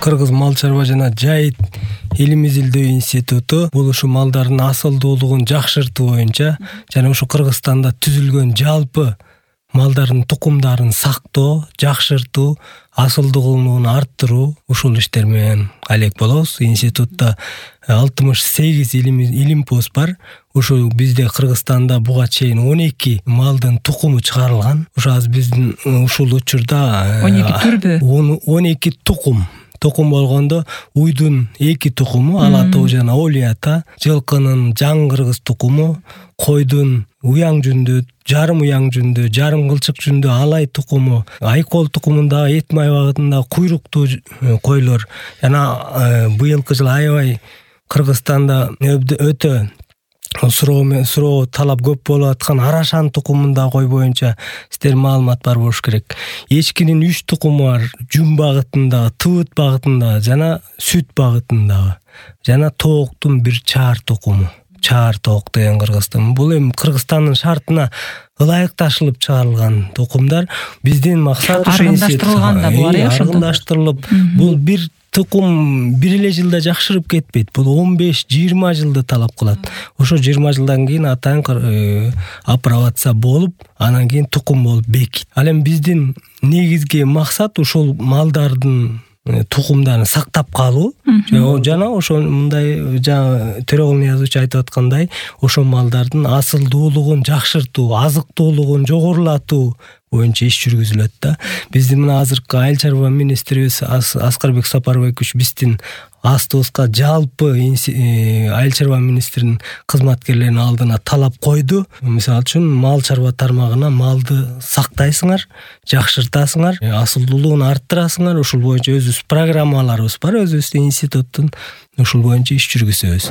Кыргыз мал чарба жана жайыт илим изилдөө институту бул ушу малдардын асылдуулугун жакшыртуу боюнча жана ушу Кыргызстанда түзүлгөн жалпы малдардын тукумдарын сактоо, жакшыртуу, асылдуулугун арттыруу ушул иштер менен алек болобуз. Институтта 68 илим пост бар. Ушу бизде Кыргызстанда буга чейин 12 малдын тукуму чыгарылган. Ушу азыр биздин ушул учурда 12 түрбү? 12 тукум болгондо уйдун 2 тукуму, ала тоо жана Оли ата, жылкынын жаң кыргыз тукуму, койдун уяң жүндү, жарым уяң жүндү, жарым кылчык жүндү алай тукуму, айкол тукумундагы Этмай багытындагы куйруктуу койлор жана быйылкы жылы аябай Кыргызстанда өтө суроо талап көп болуп аткан Арашан тукумундагы кой боюнча сиздер маалымат бар болуш керек. Эчкинин 3 тукуму бар: жүн багытындагы, тыбыт багытындагы жана сүт багытындагы. Жана тооктун бир чаар тукуму. Чаар тоок деген Кыргызстан. Бул эми Кыргызстандын шартына ылайыкташылып чыгарылган тукумдар. Биздин максат аргындаштырылган да булар, аргындаштырылып, бул бир тукум бир эле жылда жакшырып кетпейт. Бул 15-20 жылды талап кылат. Ошо 20 жылдан кийин атайын апробация болуп, анан кийин тукум болуп бекит. Ал эми биздин негизги максат ушул малдардын тукумдарын сактап калуу жана ошо мындай жаңы Төрөгул Ниязович айтып аткандай, ошо малдардын асылдуулугун жакшыртуу, азыктуулугун жогорулатуу боюнча иш жүргүзүлөт да. Биздин мына азыркы айыл чарба министрибиз Аскарбек Сапарбекович биздин астыбызга жалпы айыл чарба министринин кызматкерлеринин алдына талап койду. Мисалы үчүн мал чарба тармагына малды сактайсыңар, жакшыртасыңар, асылдуулугун арттырасыңар. Ушул боюнча өзүбүз программаларыбыз бар, өзүбүздүн институттун ушул боюнча иш жүргүзөбүз.